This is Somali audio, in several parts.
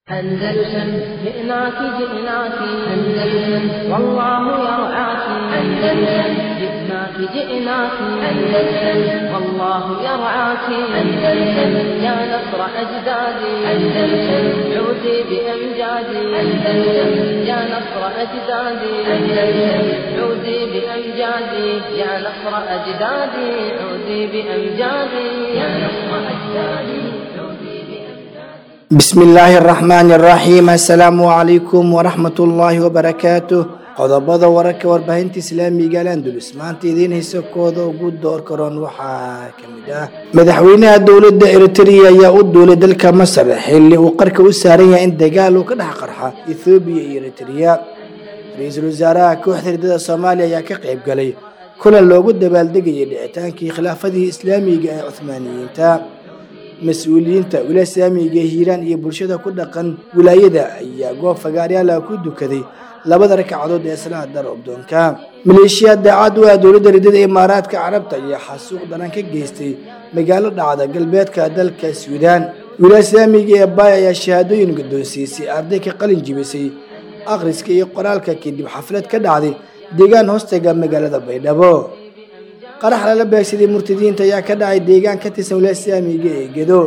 أندلسن جئناك جئناك أندلسن والله يرعاك. أندلسن جئناك جئناك أندلسن والله يرعاك. أندلسن يا نصر أجدادي. أندلسن عودي بأمجادي. أندلسن يا نصر أجدادي. أندلسن عودي بأمجادي يا نصر أجدادي. عودي بأمجادي يا نصر أجدادي. بسم الله الرحمن الرحيم. السلام عليكم ورحمة الله وبركاته. Qodobada wararka warbaahinta islaamiga Al-Andalus maanta idiin hayso kooda ugu door karoon waxaa ka mid ah: madaxweynaha dowladda Eritrea ayaa u duulay dalka Masar xilli uu qarka u saaran yahay in dagaal uu ka dhex qarxa Ethiopia iyo Eritrea. Ra'iisul wasaaraha kooxda ridada Soomaaliya ayaa ka qayb galay kulan loogu dabaaldegayay dhicitaankii khilaafadii islaamiga ee Cuthmaaniyiinta. Mas-uuliyiinta wilaaya islaamiga Hiiraan iyo bulshada ku dhaqan wilaayada ayaa goob fagaaryaal ku dukaday labada ragcadood ee salaada roobdoonka. Maleeshiya daacad u ah dowladda ridada Imaaraadka Carabta ayaa xasuuq daran ka geystay magaalo dhacda galbeedka dalka Suudaan. Wilaaya islaamiga ee Baay ayaa shahaadooyin guddoonsiisay arday ka qalin jibisay akhriska iyo qoraalka kadib xaflad ka dhacday deegaan hoostaga magaalada Baydhabo. Qarax lala beegsaday murtadiinta ayaa ka dhacay deegaan ka tirsan wilaaya islaamiga ee Gedo.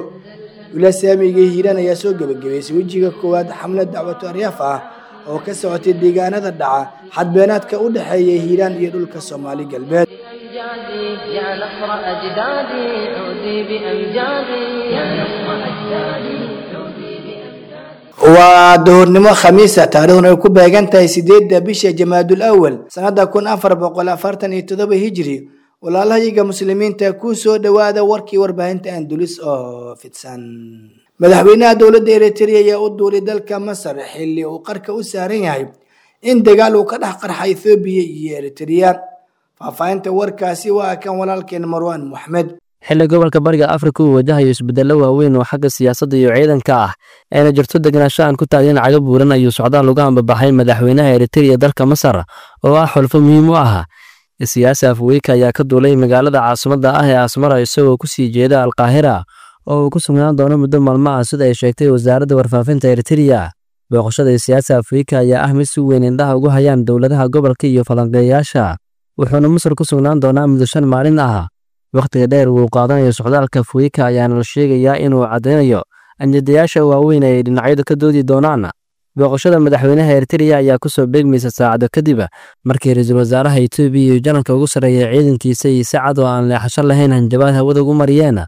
Wilaaya islaamiga ee Hiiraan ayaa soo gabagabaysay wejiga koowaad xamlad dacwatu aryaaf ah oo ka socotay deegaanada dhaca xadbeenaadka u dhexeeya Hiiraan iyo dhulka Soomaali Galbeed. أمجادي يا نصر أجدادي عودي بأمجادي يا نصر أجدادي عودي بأمجادي. Waa duhurnimo Khamiisa, taariikhduna ay ku beegan tahay 8-da bisha Jamaadul Awal sanada 1447 Hijri. Walaalahayaga muslimiinta, ku soo dhowaada warkii warbaahinta Andalus oo fidsan. Madaxweynaha dowladda Eritrea ayaa u duulay dalka Masar xilli uu qarka u saaran yahay in dagaal uu ka dhex qarxa Ethiopia iyo Eritrea. Faahfaahinta warkaasi waa kan walaalkeen Marwaan Moxmed. Xilli gobolka Bariga Afrika uu wajahayo isbedello waaweyn oo xagga siyaasadda iyo ciidanka ah, ayna jirto degenaansho aan ku taagin cago buuran, ayuu socdaal uga ambabaxay madaxweynaha Eritrea dalka Masar oo ah xulfo muhiim u ah. Siyaasi Afweyka ayaa ka duulay magaalada caasimadda ah ee Asmara isagoo ku sii jeeda Alqaahira oo uu ku sugnaan doono muddo maalmo ah, sida ay sheegtay wasaaradda warfaafinta Eritrea. Booqashada siyaasi Afrika ayaa ah mid si weyn indhaha ugu hayaan dowladaha gobolka iyo falanqeeyayaasha, wuxuuna Masar ku sugnaan doonaa muddo 5 maalin ah. Wakhtiga dheer uu qaadanayo socdaalka Afrika ayaana la sheegayaa inuu caddeynayo anjadayaasha waaweyn ay dhinacyadu ka doodi doonaan. Booqashada madaxweynaha Eritrea ayaa ku soo beegmaysa saacado kadib markii ra'iisul wasaaraha Itoobiya iyo janalka ugu sarreeya ciidankiisa iyo si cad oo aan leexasho lahayn hanjabaad hawada ugu mariyeen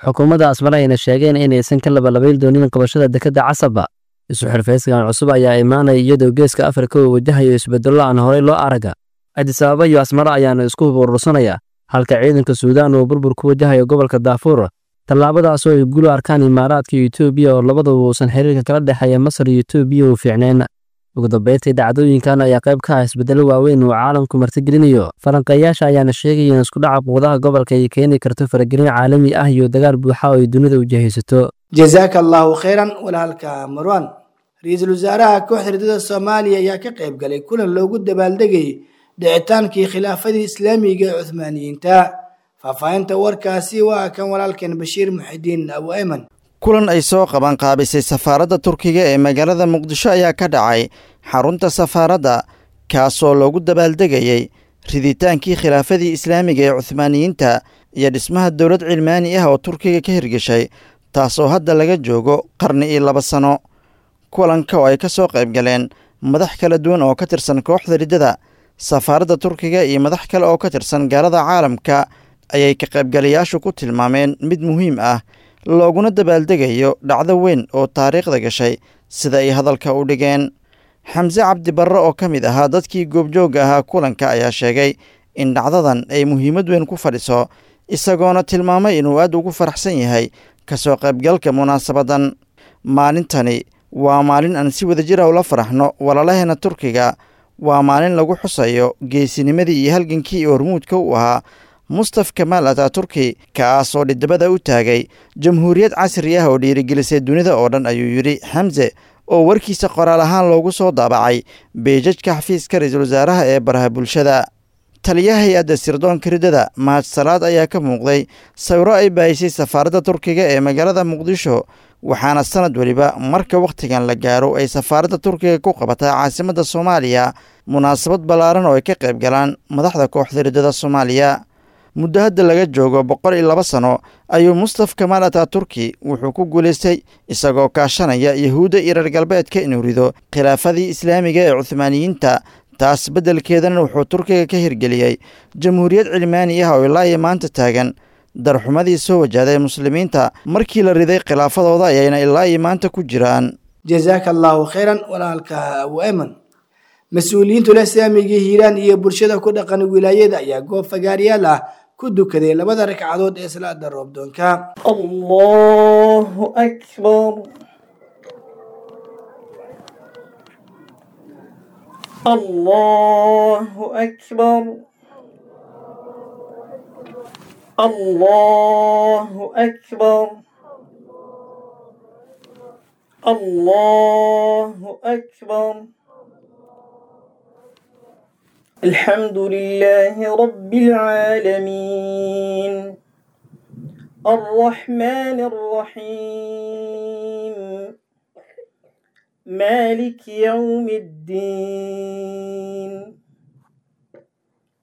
xukuumadda Asmara, ayna sheegeen inaysan ka labalabayn doonin qabashada dekedda Casaba. Isu xirfaysigan cusub ayaa imaanaya iyadoo Geeska Afrika uu wajahayo isbedello aan horey loo arag. Addis Ababa iyo Asmara ayaana isku hub urursanaya, halka ciidanka Suudaan uu burbur ku wajahayo gobolka Daafuur, tallaabadaasoo ay guul u arkaan Imaaraadka iyo Itoobiya oo labaduba uusan xiriirka kala dhexeeya Masar iyo Itoobiya uu fiicnayn. Ugu dambeyntii, dhacdooyinkan ayaa qayb ka ah isbedello waaweyn uu caalamku martigelinayo. Falanqeeyaasha ayaana sheegaya in isku dhaca quwadaha gobolka ay keeni karto faragelin caalami ah iyo dagaal buuxa oo ay dunida wajahaysato. Jazaaka Allahu khayran walaalka Marwan. Ra'iisul wasaaraha kooxda ridada Soomaaliya ayaa ka qayb galay kulan loogu dabaaldegayay dhicitaankii khilaafadii islaamiga ee Cuthmaaniyiinta. Faahfaahinta warkaasi waa kan walaalkeen Bashiir Muxidiin Abu Ayman. Kulan ay soo qaban qaabisay safaaradda Turkiga ee magaalada Muqdisho ayaa ka dhacay xarunta safaaradda, kaasoo loogu dabaaldegayey riditaankii khilaafadii islaamiga ee Cuhmaaniyiinta iyo dhismaha dowlad cilmaani ah oo Turkiga ka hirgeshay, taasoo hadda laga joogo qarni iyo 2 sano. Kulanka oo ay ka soo qayb galeen madax kala duwan oo ka tirsan kooxda riddada, safaaradda Turkiga iyo madax kale oo ka tirsan gaalada caalamka ayay ka qaybgalayaashu ku tilmaameen mid muhiim ah, looguna dabaaldegayo dhacdo weyn oo taariikhda gashay, sida ay hadalka u dhigeen. Xamse Cabdi Barre oo ka mid ahaa dadkii goobjoogga ahaa kulanka ayaa sheegay in dhacdadan ay muhiimad weyn ku fadhiso, isagoona tilmaamay inuu aad ugu faraxsan yahay ka soo qaybgalka munaasabaddan. Maalintani waa maalin aan si wadajir ah ula faraxno walaalaheena Turkiga. Waa maalin lagu xusayo geesinimadii iyo halgankii hormuudka u ahaa Mustaf Kamaal Ataaturki, kaasoo dhidibada u taagay jamhuuriyad casri ah oo dhiirigelisay dunida oo dhan, ayuu yidhi Xamse oo warkiisa qoraal ahaan loogu soo daabacay beejajka xafiiska ra'iisul wasaaraha ee baraha bulshada. Taliyaha hay-adda sirdoonka riddada Mahad Salaad ayaa ka muuqday sawiro ay baahisay safaaradda Turkiga ee magaalada Muqdisho, Waxaana sanad weliba marka wakhtigan la gaaro ay safaaradda Turkiga ku qabataa caasimadda Soomaaliya munaasabad ballaaran oo ay ka qayb galaan madaxda kooxda riddada Soomaaliya. Muddo hadda laga joogo 102 sano ayuu Mustaf Kamaal Ataaturki wuxuu ku guulaystay isagoo kaashanaya Yahuudda iyo reer galbeedka inuu rido khilaafadii islaamiga ee Cuhmaaniyiinta. Taas beddelkeedana wuxuu Turkiga ka hirgeliyey jamhuuriyad cilmaani ah oo ilaa iyo maanta taagan. Darxumadii soo wajahday muslimiinta markii la riday khilaafadooda ayayna ilaa iyo maanta ku jiraan. Jazaaka Allahu khayran walaalka Abu Ayman. Mas-uuliyiinta ulasaamiga Hiiraan iyo bulshada ku dhaqan wilaayada ayaa goob fagaaryaal ah ku dukaday labada ragcadood ee salaada roobdoonka. Allahu akbar, Allahu akbar, Allahu akbar, Allahu akbar. الحمد لله رب العالمين، الرحمن الرحيم، مالك يوم الدين،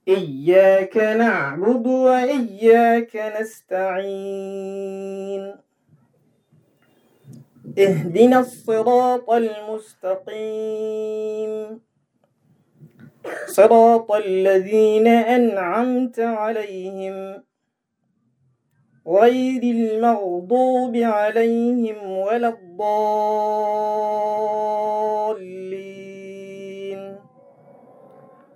إياك نعبد وإياك نستعين، اهدنا الصراط المستقيم، صراط الذين أنعمت عليهم، غير المغضوب عليهم ولا الضالين،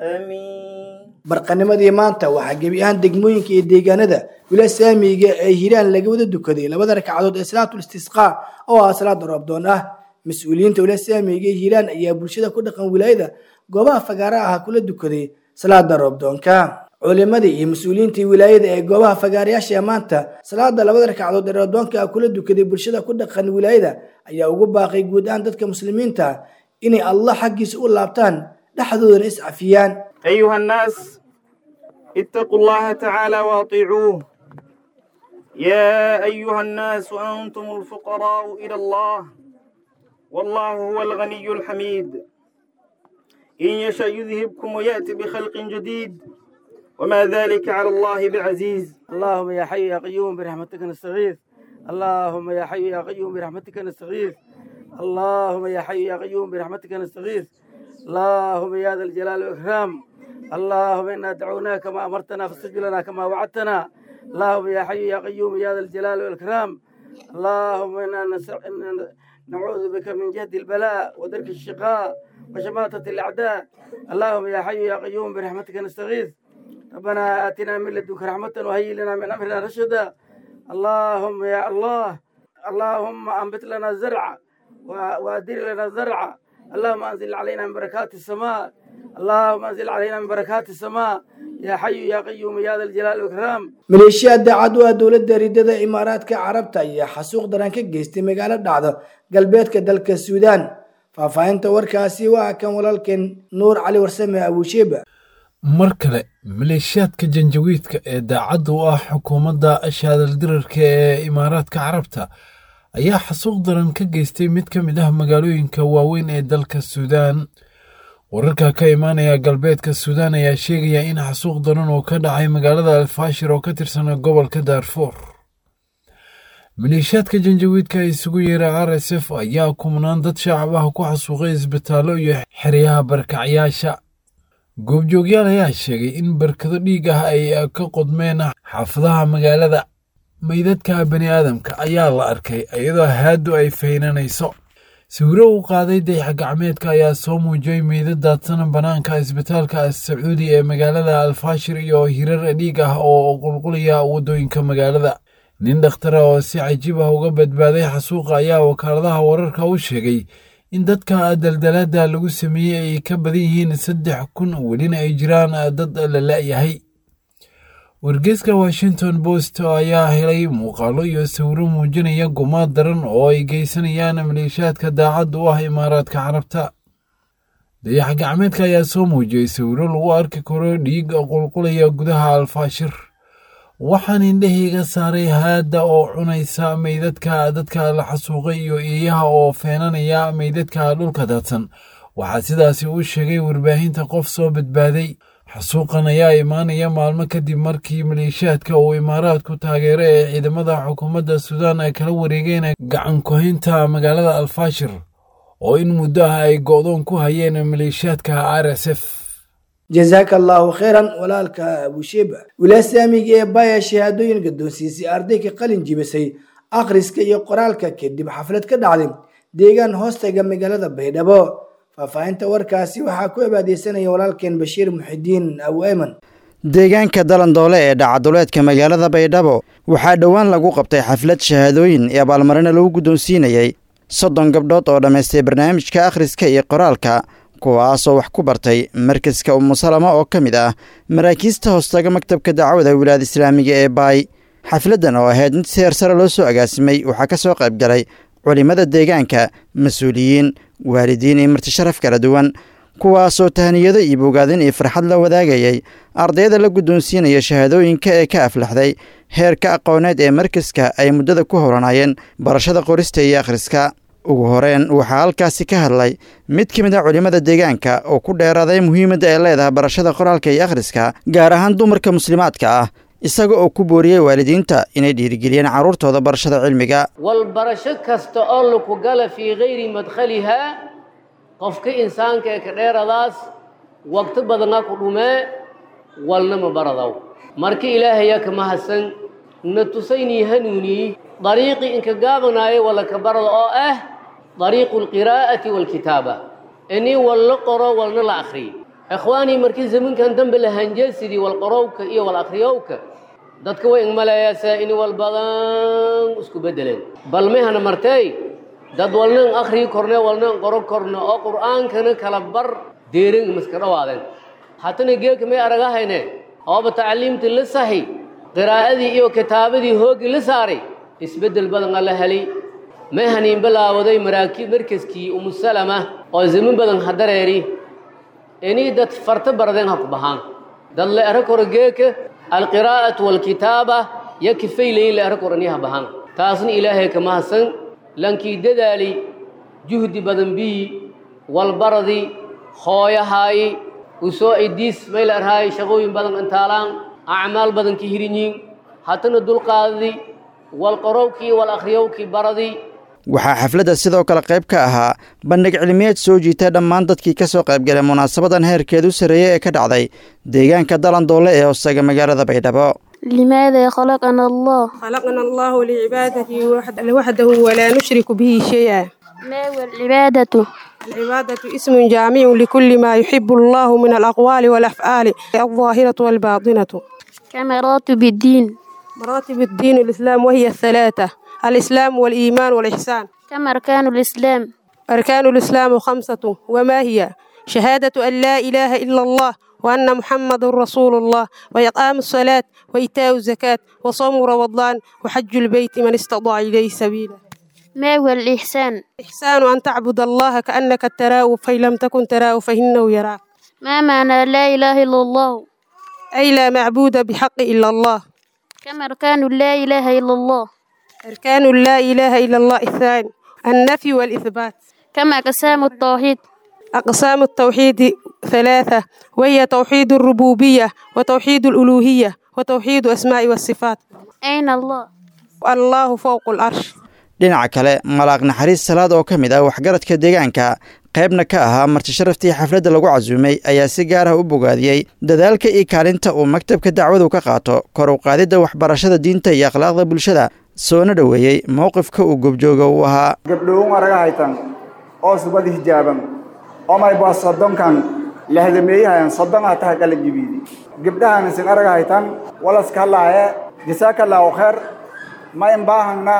آمين. Barqanimadii maanta waxaa gebi ahaan degmooyinka iyo deegaanada wilasaamiga ee Hiiraan laga wada dukaday labada ragcadood ee salaatul istisqaa oo ah salaada roobdoon ah. Mas-uuliyiinta wilasaamiga ee Hiiraan ayaa bulshada ku dhaqan wilaayada goobaha fagaaraha ah kula dukaday salaada roobdoonka. Culimadii iyo mas-uuliyiintii wilaayada ee goobaha fagaarayaasha maanta salaada labada ragcadood ee roobdoonka kula dukaday bulshada ku dhaqan wilaayada ayaa ugu baaqay guud ahaan dadka muslimiinta inay Allah xaggiisa u laabtaan, dhexdoodana is cafiyaan. أيها الناس، اتقوا الله تعالى وأطيعوه. يا أيها الناس، أنتم الفقراء إلى الله، والله هو الغني الحميد. إن يشأ يذهبكم ويأتي بخلق جديد، وما ذلك على الله بعزيز. اللهم يا حي يا قيوم برحمتك نستغيث، اللهم يا حي يا قيوم برحمتك نستغيث، اللهم يا حي يا قيوم برحمتك نستغيث، اللهم يا ذا الجلال والإكرام، اللهم إنا دعوناك كما أمرتنا فاستجب لنا كما وعدتنا، اللهم يا حي يا قيوم يا ذا الجلال والإكرام، اللهم إنا نعوذ بك من جهد البلاء ودرك الشقاء وشماتة الأعداء، اللهم يا حي يا قيوم برحمتك نستغيث، ربنا آتنا من لدنك رحمة وهيئ لنا من أمرنا رشدا، اللهم يا الله، اللهم أنبت لنا الزرع وأدر لنا الزرع، اللهم أنزل علينا من بركات السماء، اللهم أنزل علينا من بركات السماء يا حي يا قيوم يا ذا الجلال والإكرام. Maleeshiya daacad u ah dowladda ridada Imaaraadka Carabta ayaa xasuuq daran ka geystay magaalo dhacda galbeedka dalka Suudaan. Faahfaahinta warkaasi waa kan walaalkeen Nuur Cali Warsame Abuusheeba. Mar kale maleeshiyaadka janjawiidka ee daacadda u ah xukuumadda shaadaldirarka ee Imaaraadka Carabta ayaa xasuuq daran ka geystay mid ka mid ah magaalooyinka waaweyn ee dalka Suudaan. Wararka ka imaanaya galbeedka Suudaan ayaa sheegaya in xasuuq daran oo ka dhacay magaalada Alfaashir oo ka tirsan gobolka Daarfuur. Maleeshiyaadka janjawiidka isugu yeera RSF ayaa kumnaan dad shacab ah ku xasuuqay isbitaallo iyo xeryaha barkacyaasha. Goobjoogyaal ayaa sheegay in barkado dhiig ah ay ka qodmeen xaafadaha magaalada. Meydadka bani aadamka ayaa la arkay iyadoo haadu ay faynanayso. Sawiro uu qaaday dayax gacmeedka ayaa soo muujiyey meydad daadsan bannaanka isbitaalka Sacuudi ee magaalada Alfaashir iyo hirar dhiig ah oo qulqulaya waddooyinka magaalada. Nin dhakhtara oo si cajiib ah uga badbaaday xasuuqa ayaa wakaaladaha wararka u sheegay in dadka daldalaada lagu sameeyey ay ka badan yihiin 3000, welina ay jiraan dad la la'yahay. Wargeyska Washington Post ayaa helay muuqaallo iyo sawiro muujinaya gumaad daran oo ay geysanayaan maleeshiyaadka daacadda u ah Imaaraadka Carabta. Dayax gacmeedka ayaa soo muujiyey sawiro lagu arki karo dhiig qulqulaya gudaha Alfaashir. Waxaan indhahayga saaray haadda oo cunaysa meydadka dadka la xasuuqay iyo eeyaha oo feenanaya meydadka dhulka daadsan. Waxaa sidaasi u sheegay warbaahinta qof soo badbaaday. Xasuuqan ayaa imaanaya maalmo kadib markii maleeshiyaadka uu Imaaraadku taageero ee ciidamada xukuumadda Suudaan ay kala wareegeen gacan ku-haynta magaalada Alfaashir oo in muddo ah ay go'doon ku hayeen maleeshiyaadka RSF. Jazaaka allaahu khayran walaalka Abushiba. Wilaaya islaamiga ee Baya shahaadooyin guddoonsiisay arday ka qalin jibisay akhriska iyo qoraalka kadib xaflad ka dhacday deegaan hoostaga magaalada Baydhabo. Faahfaahinta warkaasi waxaa ku abaadeysanaya walaalkeen Bashiir Muxidiin Abu Ayman. Deegaanka Dalandoole ee dhacaduleedka magaalada Baydhabo waxaa dhowaan lagu qabtay xaflad shahaadooyin iyo abaalmarino lagu guddoonsiinayey 30 gabdhood oo dhammaystay barnaamijka akhriska iyo qoraalka, kuwaasoo wax ku bartay markaska Umusalama oo ka mid ah maraakiista hoostaga maktabka dacwada wilaayada islaamiga ee Baay. Xafladdan oo ahayd mid si heersare loo soo agaasimay waxaa ka soo qayb galay culimmada deegaanka, mas-uuliyiin, waalidiin iyo marti sharaf kala duwan, kuwaasoo tahaniyado iyo bogaadin iyo farxad la wadaagayay ardayda la guddoonsiinaya shahaadooyinka ee ka aflaxday heerka aqooneed ee markaska ay muddada ku howlanayeen barashada qorista iyo akhriska. Ugu horeen waxaa halkaasi ka hadlay mid ka mid ah culimmada deegaanka oo ku dheeraaday muhiimadda ay leedahay barashada qoraalka iyo akhriska, gaar ahaan dumarka muslimaadka ah, isaga oo ku booriyey waalidiinta inay dhiirigeliyeen carruurtooda barashada cilmiga. Walbarasho kasta oo laku gala fii kayri madkhalihaa, qofka insaanka ee ka dheeradaas waqti badana ku dhumee walna ma baradaw. Marka Ilaahayaa ka mahadsan na tusaynii hanuunii dariiqii inka gaabanaayo wala ka barada oo ah dariiqu alqiraa'ati waalkitaaba, inii walla qoro walna la akhriyo. Ikhwaanii, markii zamankan dambe la hanjeesidii walqorowka iyo wal akhriyowka, dadka way ingmalayaasa ini wal badan isku beddeleen. Bal mehana martay dad walnan akhriyi korne walnan qoro korne oo Qur'aankana kala bar deerin miska dhawaadeen. Haddana geelka may aragahayne ooba tacliimtii la saxi, qiraa'adii iyo kitaabadii hooggii la saaray, isbeddel badan alla helay. Mehaniin bilaawaday maraakib markaskii Umusalama oo zaman badan hadareeri inii dad farta baradeen ha ku bahaan dad la ero koro geeka alqiraa'atu waalkitaaba ya kifaylayin la ero koro inii ha bahaan. Taasna Ilaahay ka mahadsan. Lankii dadaali juhdi badan biyi walbaradi hooyahaayi usoo idiis may la erhaay shaqooyin badan intaalaan acmaal badan ka hirinyiin, haddana dulqaadadi walqorowkii wal akhriyowkii baradii. Waxaa xafladda sidoo kale qayb ka ahaa bandhig cilmiyeed soo jiita dhammaan dadkii ka soo qaybgalay munaasabadan heerkeedu sarreeyey ee ka dhacday deegaanka Dalandoole ee hoostaga magaalada Baydhabo. لماذا خلقنا الله؟ خلقنا الله لعبادته وحده ولا نشرك به شيئا. ما هو العبادة؟ العبادة اسم جامع لكل ما يحب الله من الأقوال والأفعال الظاهرة والباطنة. كمراتب الدين؟ مراتب الدين الإسلام وهي الثلاثة: الإسلام والإيمان والإحسان. كم أركان الإسلام؟ أركان الإسلام 5، وما هي؟ شهادة أن لا إله إلا الله وأن محمد رسول الله، وإقام الصلاة، وإيتاء الزكاة، وصوم رمضان، وحج البيت من استطاع إليه سبيلا. ما هو الإحسان؟ الإحسان أن تعبد الله كأنك تراه، فإن لم تكن تراه فإنه يراك. ما معنى لا إله إلا الله؟ أي لا معبود بحق إلا الله. كم أركان لا إله إلا الله؟ أركان لا إله إلا الله 2: النفي والإثبات. كم أقسام التوحيد؟ أقسام التوحيد 3، وهي توحيد الربوبية، وتوحيد الألوهية، وتوحيد أسماء والصفات. أين الله؟ الله فوق العرش. Dhinaca kale, Malaaq Naxariis Salaad oo ka mid ah waxgaradka deegaanka, qaybna ka ahaa marti sharaftii xafladda lagu casuumay, ayaa si gaar ah u bogaadiyey dadaalka iyo kaalinta uu maktabka dacwadu ka qaato kor u qaadidda waxbarashada diinta iyo akhlaaqda bulshada, soona dhoweeyey mowqifka uu goobjooga u ahaa. Gabdhowon araga haytan oo subad hijaaban omay baa soddonkan lahdameeyahayan soddonaa tahay kala jibiidi gabdhahan isin araga haytan walaska halaaye jasaakallaahu kheer ma inbaahangna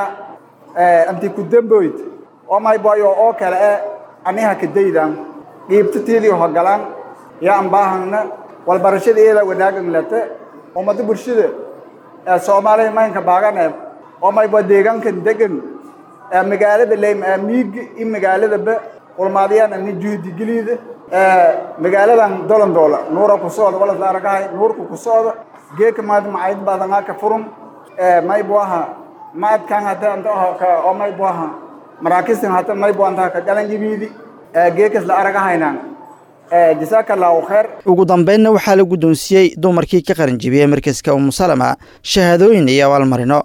anti ku demboyd omay bayo oo kale e aniha kadaydan dhiibtatiidii hogalaan yaa anbaahangna walbarashada iyada wanaagan lete ummada bulshada ee Soomaaliya maynka baagane omay baa deegaankan degan ee magaalada leym ee miig in magaalada ba ulmaadiyaan ani juhdi geliida ee magaaladan Dolandoola nuura ku socda wala aragahay nuurku ku socda Geeka maad macayid badanaa ka furun maybuaha maadkan hata oo maybuaha maraakiistan hata maybu antaha ka qalanjibiidi geekas la aragahaynaan. Jasaaka allahu khayr. Ugu dambeynna waxaa la guddoonsiiyey dumarkii ka qaranjibiyey markaska Umusalama shahaadooyin iyo abaalmarino,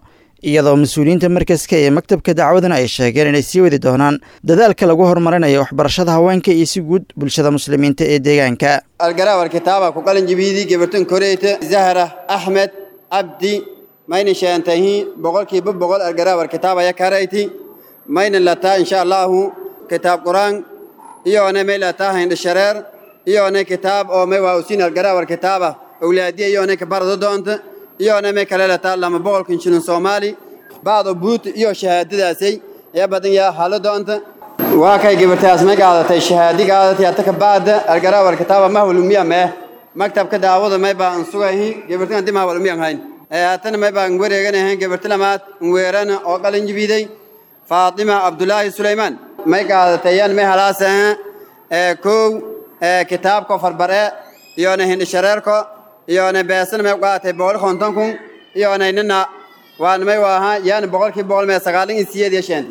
iyadoo mas-uuliyiinta markaska ee maktabka dacwadana ay sheegeen inay sii wadi doonaan dadaalka lagu horumarinayo waxbarashada haweenka iyo si guud bulshada muslimiinta ee deegaanka. Algaraawar kitaaba ku qalanjibiidi gabartan koreyta Zahra Axmed Cabdi mayna sheantahi 100% algaraawar kitaaba ya karayti mayna lataa insha Allahu kitaab Quraan iyona may lataa hind shareer iyona kitaab oo may waa usin algaraawar kitaaba awlaadiya iyona ka barado doonta iyona may kale lataa 200 shilin Soomaali baado buut iyo shahaadadaasay ya badan yaa halo doonta. Waa kay gabartaas may qaadatay shahaadi qaadatay hata ka baada algaraawar kitaaba ma hulumiya ma maktabka daawada may baan sugahay gabartan dima hulumiya hayn hatana may baan wareeganahay gabarta lamaad weerana oo qalin jibiday Faatima Abdullaahi Suleymaan may qaadatay yan may halaasa kow kitaabka farbare iyona hind shareerko iyona beesan may qaadatay 150,000 iyona nina waan may waaha yan 100% may 98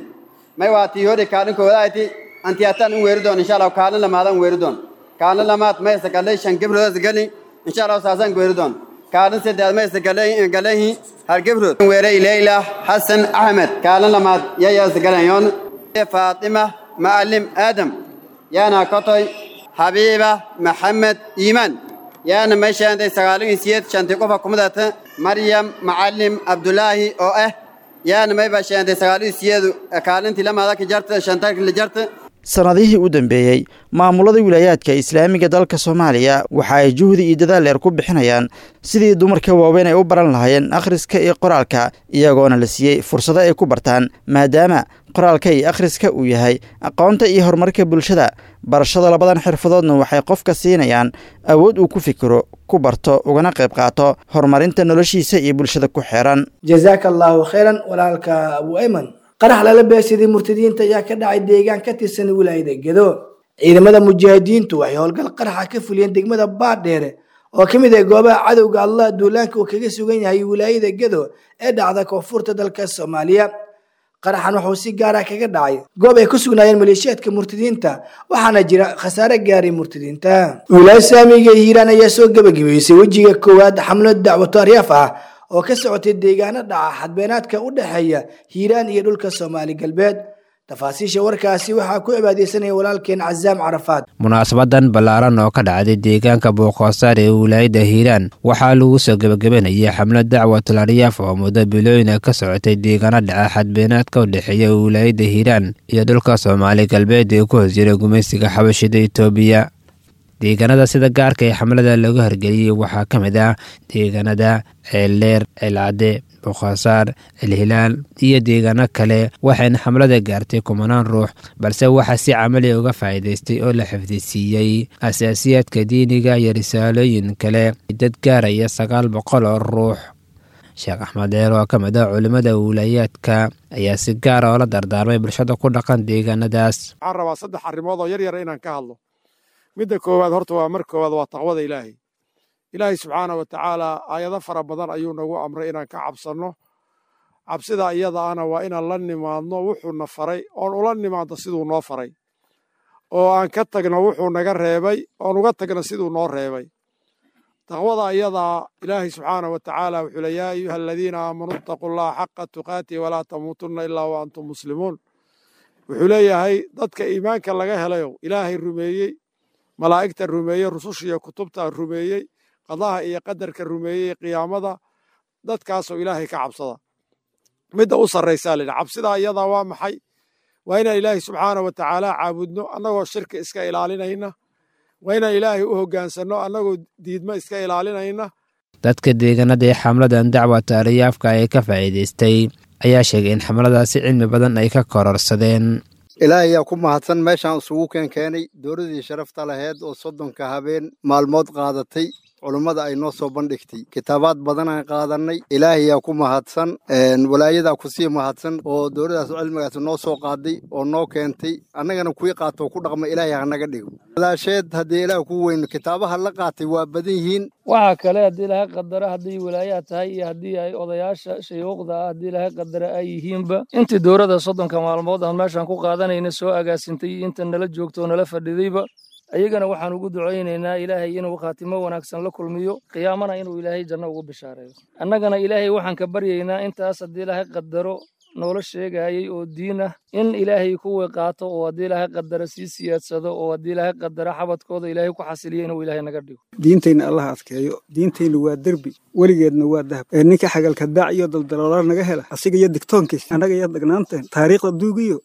may waa tiyoori kaalin koodayti antiyatan weeri doon insha Allah kaalin lamaadan weeri doon kaalin lamaad may sagalay shan gabrood gali insha Allah saasan weeri doon kaalin saddeed may sagalay galahi hal gabrood weeray Leila Hassan Ahmed kaalin lamaad yaa sagalayon Fatima Maalim Adam yaana kotoy Habiba Maxamed Iiman yaana may shaantay 98 shantii qofa kumadata Maryam Maalim Abdullaahi oo ah yaana may bashaantay 98 kaalintii lamaada ka jarta shantarka la jarta. Sanadihii u dambeeyey maamulada wilaayaadka islaamiga dalka Soomaaliya waxa ay juhdi iyo dadaal dheer ku bixinayaan sidii dumarka waaweyn ay u baran lahaayeen akhriska iyo qoraalka, iyagoona la siiyey fursado ay ku bartaan, maadaama qoraalka iyo akhriska uu yahay aqoonta iyo horumarka bulshada. Barashada labadan xirfadoodna waxay qofka siinayaan awood uu ku fikiro, ku barto, ugana qayb qaato horumarinta noloshiisa iyo bulshada ku xeeran. Jazaaka allahu khayran walaalka Abu Ayman. Qarax lala beegsaday murtadiinta ayaa ka dhacay deegaan ka tirsan wilaayada Gedo. Ciidamada mujaahidiintu waxay howlgal qaraxa ka fuliyeen degmada Baadheere oo ka mid ah goobaha cadowga Allah duulaanka uu kaga sugan yahay wilaayada Gedo ee dhacda koonfurta dalka Soomaaliya. Qaraxan wuxuu si gaar ah kaga dhacay goob ay ku sugnaayeen maleeshiyaadka murtadiinta, waxaana jira khasaare gaaray murtadiinta. Wilaayada Saamiga ee Hiiraan ayaa soo gabagabeysay wejiga koowaad xamlad dacwato aryaaf ah oo ka socotay deegaano dhaca xadbeenaadka u dhexeeya Hiiraan iyo dhulka Soomaali Galbeed. Tafaasiisha warkaasi waxaa ku cibaadeysanaya walaalkeen Cazaam Carafaad. Munaasabadan ballaaran oo ka dhacday deegaanka Booqoosaar ee wilaayada Hiiraan waxaa lagu soo gebagabenayay xamlad dacwatul aryaaf oo muddo bilooyin ka socotay deegaano dhaca xadbeenaadka u dhexeeya wilaayada Hiiraan iyo dhulka Soomaali Galbeed ee ku hoos jira gumaysiga xabashida Itoobiya. Deegaanada sida gaarka ee xamlada lagu hirgeliyey waxaa ka mid ah deegaanada Ceeldheer, Ceelcadde, Boqosaar, Ceelhilaal iyo deegaano kale, waxayna xamlada gaartay kumanaan ruux, balse waxaa si camali uga faa'iidaystay oo la xifdisiiyey asaasiyaadka diiniga iyo risaalooyin kale dad gaaraya 900 oo ruux. Sheekh Axmed Dheer oo ka mid ah culimmada wilayaadka ayaa si gaara oola dardaarmay bulshada ku dhaqan deegaanadaas. Waxaan rabaa saddex arrimood oo yar yar inaan ka hadlo. Midda koowaad horta waa marka koowaad waa taqwada Ilaahay. Ilaahay subxaana wa tacaala aayado fara badan ayuu nagu amray inaan ka cabsanno. Cabsida iyada ana waa inaan la nimaadno wuxuu na faray, oon ula nimaadno siduu noo faray, oo aan ka tagno wuxuu naga reebay, oon uga tagno siduu noo reebay. Taqwada iyadaa Ilaahay subxaana wa tacaala wuxuu leeyahay, yaa ayuha aladiina aamanuu ittaquu llaha xaqa tuqaatihi walaa tamuutunna ilaa wa antum muslimuun. Wuxuu leeyahay dadka iimaanka laga helayo, Ilaahay rumeeyey, malaa'igta rumeeyey, rususha iyo kutubta rumeeyey, qadaha iyo qadarka rumeeyey, qiyaamada, dadkaasoo Ilaahay ka cabsada. Midda u sarraysaa la yidhi cabsidaa iyadaa waa maxay? Waa inaan Ilaahay subxaana wa tacaala caabudno annagoo shirki iska ilaalinayna, waa inaan Ilaahay u hoggaansanno annagoo diidmo iska ilaalinayna. Dadka deegaanada ee xamladan dacwata aryaafka ay ka faa'iidaystay ayaa sheegay in xamladaasi cilmi badan ay ka kororsadeen. Ilaahay ayaa ku mahadsan meeshaan isugu keenkeenay dowladii sharafta laheyd oo 30 habeen maalmood qaadatay Culummada ay noo soo bandhigtay kitaabaad badanaan qaadannay. Ilaahayaa ku mahadsan, walaayadaa kusii mahadsan oo dowladaas cilmigaas noo soo qaaday oo noo keentay. Annagana kuwii qaatoo ku dhaqma Ilaahay hanaga dhigo. Walaasheed haddii Ilaah ku weyno, kitaabaha la qaatay waa badan yihiin. Waxaa kale haddii Ilaahay qadaro, haddii walaayaha tahay iyo haddii ay odayaasha shayuuqda ah haddii Ilaahay qadaro ay yihiinba, intii dowladda 30-ka maalmood aan meeshaan ku qaadanayna soo agaasintay iyo inta nala joogto oo nala fadhidayba, ayagana waxaan ugu ducaynaynaa Ilaahay inuu khaatimo wanaagsan la kulmiyo, qiyaamana inuu Ilaahay janno ugu bishaareeyo. Annagana Ilaahay waxaan ka baryaynaa intaas haddii Ilaahay qadaro noola sheegayay oo diin ah in Ilaahay kuwii qaato oo haddii Ilaahay qadaro sii siyaadsado oo haddii Ilaahay qadaro xabadkooda Ilaahay ku xasiliyo inuu Ilaahay naga dhigo. Diintayna Allah adkeeyo. Diintayna waa derbi, weligeedna waa dahab. Ee ninka xagalka daac iyo daldaloola naga hela, asiga iyo digtoonkiis, annaga iyo dagnaanteen, taariikhda duugiyo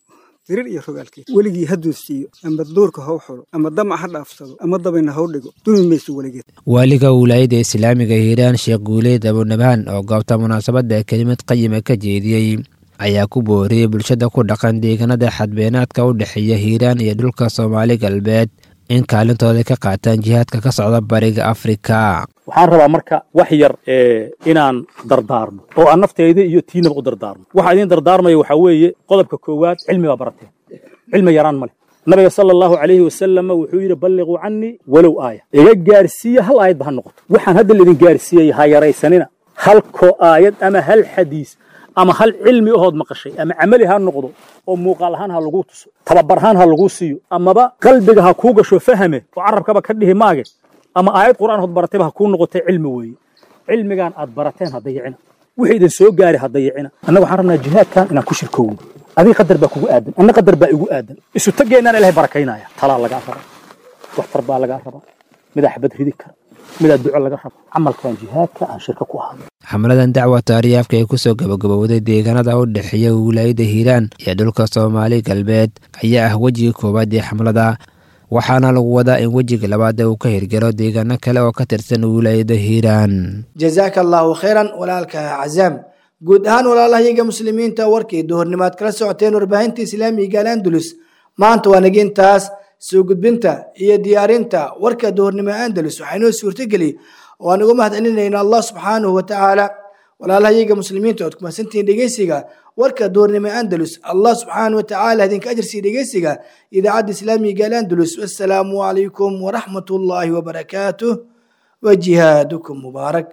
dirir iyo rogaalkeed weligii hadduu siiyo, ama duurka haw xulo, ama damac ha dhaafsado, ama dabayna haw dhigo, dumi mayso weligeed. Waaliga wilaayadda islaamiga Hiiraan, Sheekh Guuleed Abunabaan, oo goobta munaasabadda kelimad qayima ka jeediyey, ayaa ku booriyey bulshada ku dhaqan deegaanada xadbeenaadka u dhexeeya Hiiraan iyo dhulka Soomaali Galbeed in kaalintooda ka qaataan jihaadka ka socda Bariga Afrika. Waxaan rabaa marka wax yar inaan dardaarmo oo aan nafteyda iyo tiinaba u dardaarmo. Waxaa idiin dardaarmaya waxaa weeye qodobka koowaad: cilmi baa barateen, cilmi yaraan ma leh. Nabiga sala Allahu calayhi wasalam wuxuu yidhi: "Balliquu cannii walow aaya." Iga gaarsiiya, hal aayadba ha noqoto. Waxaan hadda laidin gaarsiiyey ha yaraysanina. Halkoo aayad ama hal xadiis ama hal cilmi ahood maqashay, ama camali ha noqdo oo muuqaal ahaan ha laguu tuso, tababar ahaan ha laguu siiyo, amaba qalbiga ha kuu gasho fahame oo carabkaba ka dhihi maage, ama aayad Qur'aan hood baratayba ha kuu noqotay, cilmi weeye. Cilmigan aad barateen ha dayicina, wixii idin soo gaari ha dayicina. Annaga waxaan rabnaa jihaadkan inaan ku shirkoowno. Adiga qadar baa kugu aadan, anna qadar baa igu aadan, isu tageennaan Ilahay barakaynaya. Talaa lagaa rabaa, waxtar baa lagaa rabaa, midaa xabad ridi kara, midaa duco laga raba. Camalkan jihaadka aan shirka ku ahaado. Xamladan dacwa taariyaafka ee kusoo gabagabowday deegaanada u dhexeeya wilaayadda Hiiraan iyo dhulka Soomaali Galbeed ayaa ah wejiga koowaad ee xamlada, waxaana lagu wadaa in wejiga labaad uu ka hirgalo deegaano kale oo ka tirsan wilaayadda Hiiraan. Jazaaka Allahu khayran, walaalka Cazaam. Guud ahaan walaalahayaga muslimiinta, warkii duhurnimaad kala socoteen warbaahinta islaamiga Al Andalus maanta waa nagintaas. Soo gudbinta iyo diyaarinta warka duhurnimo Andalus waxaa inoo suurtageli oo aan uga mahadcelinayna Allah subxaanahu wa tacaala. Walaalahayaga muslimiinta, ood kumasantihiin dhegeysiga warka duhurnimo Andalus. Allah subxaanahu wa tacaala idinka ajarsiiya dhegeysiga idaacadda islaamiga Al Andalus. Wassalaamu calaykum waraxmatullaahi wabarakaatuh wa jihaadukum mubaarak.